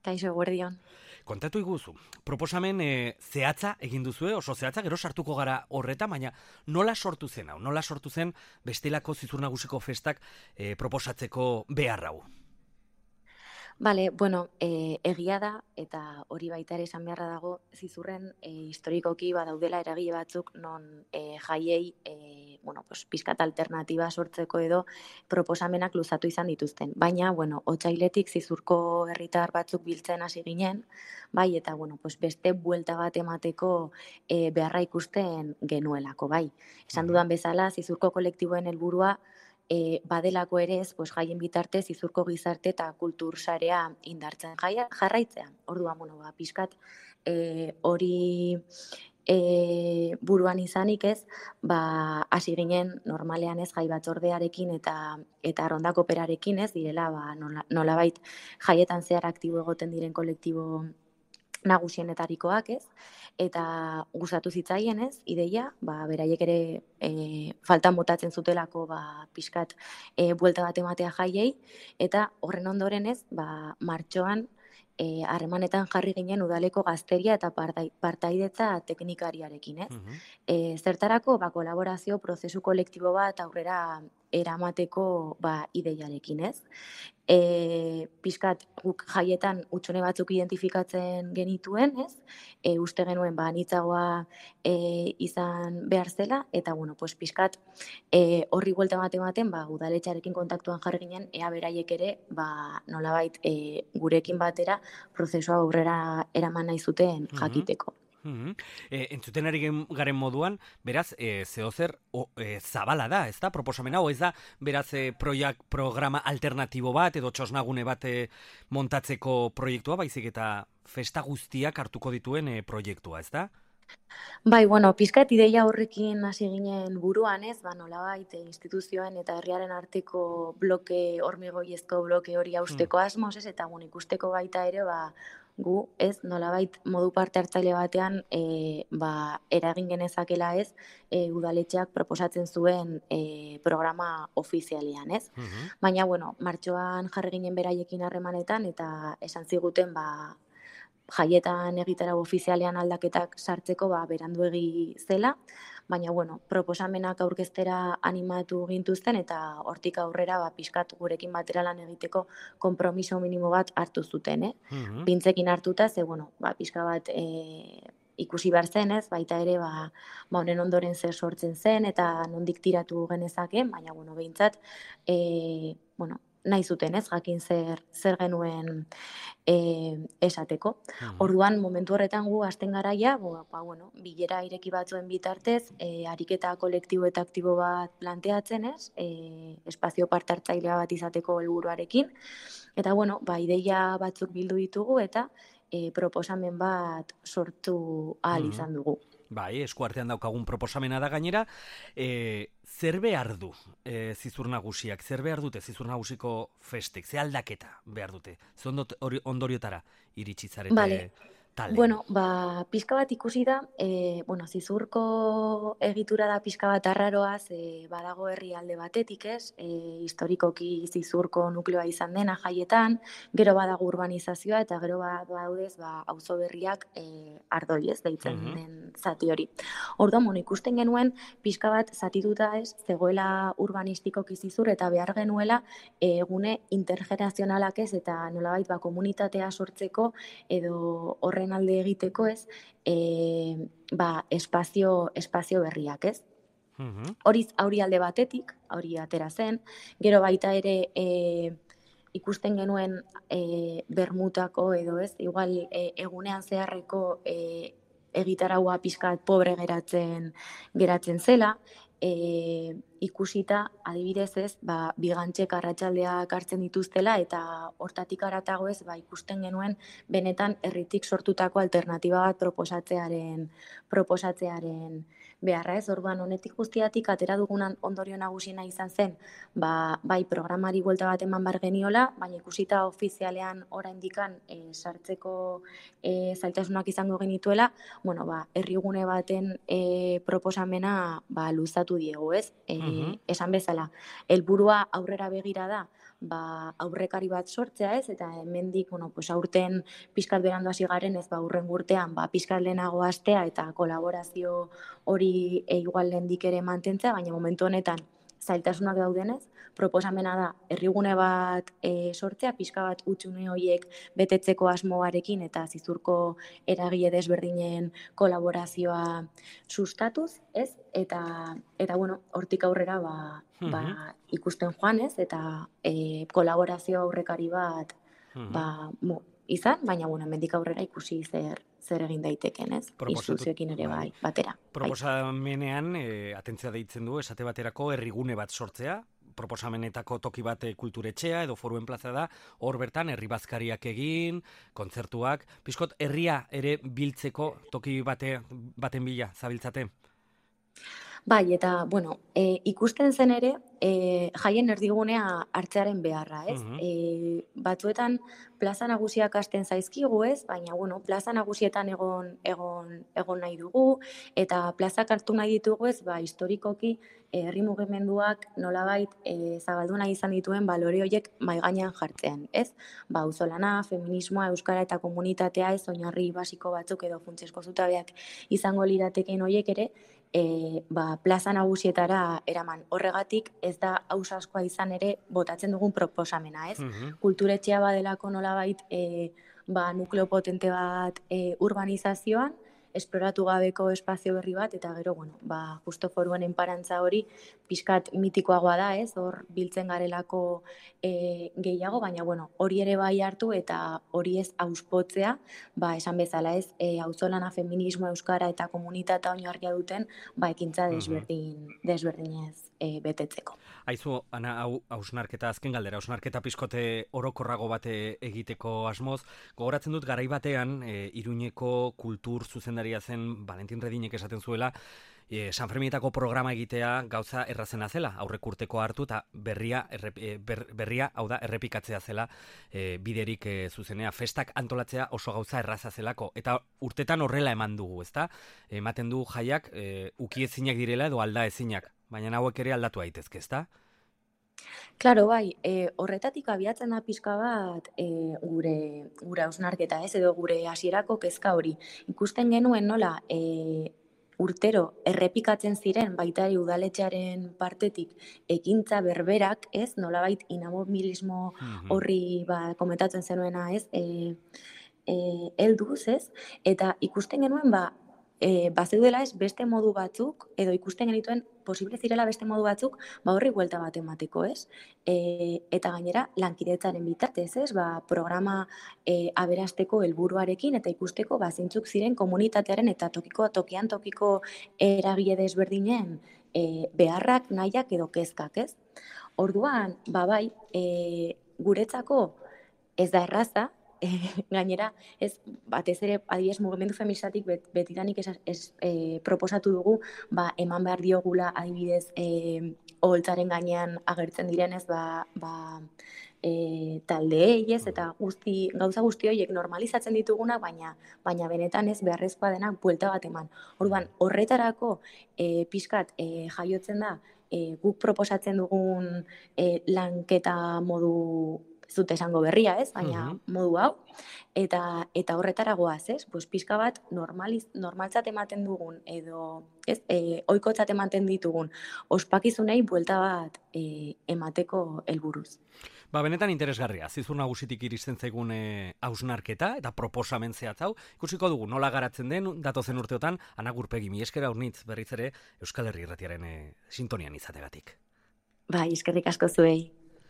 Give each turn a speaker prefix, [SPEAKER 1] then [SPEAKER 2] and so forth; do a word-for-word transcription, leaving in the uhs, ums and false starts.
[SPEAKER 1] Kaixo, eguerdion.
[SPEAKER 2] Kontatu iguzu, proposamen e, zehatza egin duzue, oso zehatza, gero sartuko gara horreta, baina nola sortu zen hau? Nola sortu zen bestelako Zizur Nagusiko festak e, proposatzeko behar hau?
[SPEAKER 1] Bale, bueno, e, egia da, eta hori baita ere esan beharra dago, Zizurren e, historikoki badaudela eragile batzuk non e, jaiei e, bueno, pues, pizkat alternatiba sortzeko edo proposamenak luzatu izan dituzten. Baina, bueno, otsailetik Zizurko herritar batzuk biltzen hasi ginen, bai, eta bueno, pues, beste buelta bat emateko e, beharra ikusten genuelako, bai. Esan dudan bezala, Zizurko kolektiboen helburua E, badelako ere ez, pues, jaien bitartez Zizurko gizarte eta kultur sarea indartzen jaia, jarraitzea. Orduan, bueno, ba, pixkat e, hori e, buruan izanik ez, ba, hasi ginen normalean ez jai batzordearekin eta eta rondako operarekin ez, direla ba, nola, nolabait jaietan zehar aktibo egoten diren kolektibo nagusienetarikoak, ez? Eta gustatu zitzaien, ez? Ideia, ba beraiek ere e, faltan botatzen zutelako ba pixkat e, buelta bat ematea jaiei eta horren ondoren, ez? Ba martxoan eh harremanetan jarri ginen udaleko gazteria eta partaidetza teknikariarekin, ez?
[SPEAKER 2] Mhm.
[SPEAKER 1] E, zertarako ba kolaborazio prozesu kolektibo bat aurrera eramateko ba ideiarekin, ez? E, pixkat guk jaietan utxone batzuk identifikatzen genituen, ez? E, uste genuen ba anitzagoa e, izan behar zela, eta bueno, pues pixkat e, horri buelta ematen ematen, ba udaletxarekin kontaktuan jarri ginen, ea beraiek ere ba nolabait e, gurekin batera prozesua aurrera eraman nahi zuten jakiteko.
[SPEAKER 2] Mm-hmm. E, entzuten ari garen moduan, beraz, e, zeozer o, e, zabala da, ez da, proposamena, o ez da, beraz, e, proiak, programa alternatibo bat, edo txosnagune bat e, montatzeko proiektua, baizik eta festa guztiak hartuko dituen e, proiektua, ez da?
[SPEAKER 1] Bai, bueno, pizkat ideia horrekin hasi ginen buruan, ez, ba, nolabait instituzioen eta herriaren arteko bloke, hormigoiezko bloke hori hausteko asmoz, ez, eta bueno, ikusteko baita ere, ba, gu, ez, nolabait modu parte hartzaile batean e, ba, eragin genezakela, ez, e, udaletxeak proposatzen zuen e, programa ofizialean, ez.
[SPEAKER 2] Mhm.
[SPEAKER 1] Baina, bueno, martxoan jarri ginen beraiekin harremanetan eta esan ziguten, ba, jaietan egitarau ofizialean aldaketak sartzeko ba, beranduegi zela, baina bueno, proposamenak aurkeztera animatu gintuzten eta hortik aurrera ba, pixkat gurekin batera lan egiteko konpromiso minimo bat hartu zuten, eh?
[SPEAKER 2] Mhm.
[SPEAKER 1] Pintzekin hartuta, ze bueno, ba, pixka bat e, ikusi behar zen, ez, baita ere ba, ba honen ondoren zer sortzen zen eta nondik tiratu genezake, baina bueno, behintzat, e, bueno, nahi zuten, ez, jakin zer, zer genuen e, esateko.
[SPEAKER 2] Mhm.
[SPEAKER 1] Orduan, momentu horretan gu hasten garaia, bo, ba, bueno, bilera ireki batzuen bitartez, e, ariketa kolektibo eta aktibo bat planteatzen, ez, e, espazio parte hartzailea bat izateko helburuarekin, eta bueno, ba, ideia batzuk bildu ditugu eta e, proposamen bat sortu ahal izan dugu.
[SPEAKER 2] Bai, eskuartean daukagun proposamena da gainera, e, zer behar du e, Zizur Nagusiak, zer behar dute Zizur Nagusiko festek, ze aldaketa behar dute, ze ondoriotara iritsi zarete
[SPEAKER 1] Vale.
[SPEAKER 2] tale?
[SPEAKER 1] Bueno, ba, pixka bat ikusi da, e, bueno, Zizurko egitura da pixka bat arraroaz, e, badago herrialde batetik, ez, e, historikoki Zizurko nukleoa izan dena jaietan, gero badago urbanizazioa, eta gero badaudez, ba, auzo berriak e, ardoi, ez, deitzen
[SPEAKER 2] Mhm.
[SPEAKER 1] den zati hori. Orduan, bueno, ikusten genuen, pixka bat zatituta ez, zegoela urbanistikoki Zizur, eta behar genuela e, egune intergenerazionalak ez, eta nolabait ba, komunitatea sortzeko, edo horren alde egiteko, ez, e, ba, espazio, espazio berriak, ez.
[SPEAKER 2] Mhm.
[SPEAKER 1] Hori hori alde batetik, hori atera zen, gero baita ere e, ikusten genuen e, bermutako edo ez, igual e, egunean zeharreko e, egitaraua pixkat pobre geratzen geratzen zela, e, ikusita adibidez ez, ba, bigantxek arratsaldeak hartzen dituztela eta hortatik haratago ez, ba, ikusten genuen benetan herritik sortutako alternatiba bat proposatzearen proposatzearen beharra, ez, orduan honetik guztiatik atera dugunan ondorio nagusiena izan zen, ba, bai programari buelta bat eman bar geniola, baina ikusita ofizialean oraindikan e, sartzeko e, zailtasunak izango genituela, bueno, ba, herrigune baten e, proposamena ba, luzatu diegu, ez? E,
[SPEAKER 2] Mhm.
[SPEAKER 1] Esan bezala, helburua aurrera begira da, ba, aurrekari bat sortzea ez, eta hemendik, bueno, pues aurten pizkat berandu hasi garen ez, ba, urren urtean, ba, pizkat lehenago hastea eta kolaborazio hori e, igual lehendik ere mantentzea, baina momentu honetan zailtasunak daudenez, proposamena da herrigune bat e, sortzea, pixka bat hutsune horiek betetzeko asmoarekin eta zizurko eragile desberdinen kolaborazioa sustatuz, ez? Eta, eta bueno, hortik aurrera ba,
[SPEAKER 2] Mhm.
[SPEAKER 1] ba, ikusten joan, ez? Eta e, kolaborazio aurrekari bat
[SPEAKER 2] Mhm.
[SPEAKER 1] ba, mo, izan, baina bueno, hemendik aurrera ikusi zer zer egin daiteken, ez?
[SPEAKER 2] Proposatu-
[SPEAKER 1] Instituzioekin ere bai,
[SPEAKER 2] bai.
[SPEAKER 1] batera. Bai.
[SPEAKER 2] Proposamenean, e, atentzia deitzen du, esate baterako herrigune bat sortzea, proposamenetako toki bat e, kulturetxea edo foruen plaza da, hor bertan herri bazkariak egin, kontzertuak, pixkot herria ere biltzeko toki bate, baten bila, zabiltzate?
[SPEAKER 1] Bai, eta, bueno, e, ikusten zen ere, e, jaien erdigunea hartzearen beharra, ez?
[SPEAKER 2] Mhm.
[SPEAKER 1] E, batzuetan plaza nagusiak hasten zaizkigu, ez? Baina, bueno, plaza nagusietan egon, egon, egon nahi dugu, eta plazak hartu nahi ditugu, ez? Ba, historikoki, e, herri mugimenduak nolabait e, zabaldu nahi izan dituen balore horiek mahai gainean jartzean, ez? Ba, auzolana, feminismoa, euskara eta komunitatea, ez, oinarri basiko batzuk edo funtsezko zutabeak izango lirateken horiek ere, E, ba, plaza nagusietara eraman. Horregatik ez da ausazkoa izan ere botatzen dugun proposamena, ez?
[SPEAKER 2] Mhm.
[SPEAKER 1] Kulturetxea badelako nolabait e, ba, nukleo potente bat e, urbanizazioan, esploratu gabeko espazio berri bat, eta gero, bueno, ba, justo foruen enparantza hori pixkat mitikoagoa da, ez? Hor biltzen garelako e, gehiago, baina, bueno, hori ere bai hartu eta hori ez auspotzea, ba, esan bezala, ez? E, auzolana, feminismo, euskara eta komunitatea oinarria duten, ba, ekintza desberdin, desberdinez e, betetzeko.
[SPEAKER 2] Aizu, Ana, hau hausnarketa, azken galdera, hausnarketa pizkote orokorrago bate egiteko asmoz, gogoratzen dut garai batean, e, Iruñeko kultur zuzendaria zen Valentin Redinek esaten zuela, e, San Ferminetako programa egitea gauza errazena zela, aurrek urteko hartu eta berria, errep, e, ber, berria, hau da, errepikatzea zela e, biderik e, zuzenea, festak antolatzea oso gauza erraza zelako, eta urtetan horrela eman dugu, ezta? Ematen du jaiak e, ukiezinak direla edo alda ezinak, baina hauek ere aldatu daitezke, ezta?
[SPEAKER 1] Claro, bai, e, horretatik abiatzen da pixka bat e, gure gure hausnarketa, ez, edo gure hasierako kezka hori. Ikusten genuen nola e, urtero errepikatzen ziren baita ere udaletxearen partetik ekintza berberak, ez, nolabait inamobilismo horri ba, komentatzen zenuena, ez, e, e, helduz, ez, eta ikusten genuen ba, E, bazeudela ez beste modu batzuk, edo ikusten genituen posible zirela beste modu batzuk, ba horri buelta bat emateko, ez? E, eta gainera, lankidetzaren bitartez, ez? Ba, programa e, aberasteko helburuarekin eta ikusteko ba, zeintzuk ziren komunitatearen eta tokiko tokian tokiko eragile desberdinen e, beharrak, nahiak edo kezkak, ez? Orduan, ba bai, e, guretzako ez da erraza, E, gainera, ez, batez ere, adibidez, mugimendu feministatik bet, betidanik ez, ez e, proposatu dugu, ba, eman behar diogula, adibidez, e, oholtzaren gainean agertzen direnez, ba, ba, e, taldeei, ez, eta guzti, gauza guzti horiek normalizatzen ditugunak, baina, baina benetan ez beharrezkoa denak buelta bat eman. Orduan, horretarako e, pixkat e, jaiotzen da, e, guk proposatzen dugun e, lanketa modu zut esango berria, ez? Baina uh-huh. modu hau, eta eta horretara goaz, ez? Pues pixka bat normaliz, normaltzat ematen dugun, edo, ez? E, oikotzat ematen ditugun, ospakizunei buelta bat e, emateko helburuz.
[SPEAKER 2] Ba, benetan interesgarria, zizur nagusitik iristen zaigun hausnarketa eta proposamen zehatz hau. Ikusiko dugu nola garatzen den datozen urteotan, Ana Gurpegi, mi eskera urnitz berriz ere Euskal Herri Irratiaren e, sintonian izategatik.
[SPEAKER 1] Bai, eskerrik asko zuei.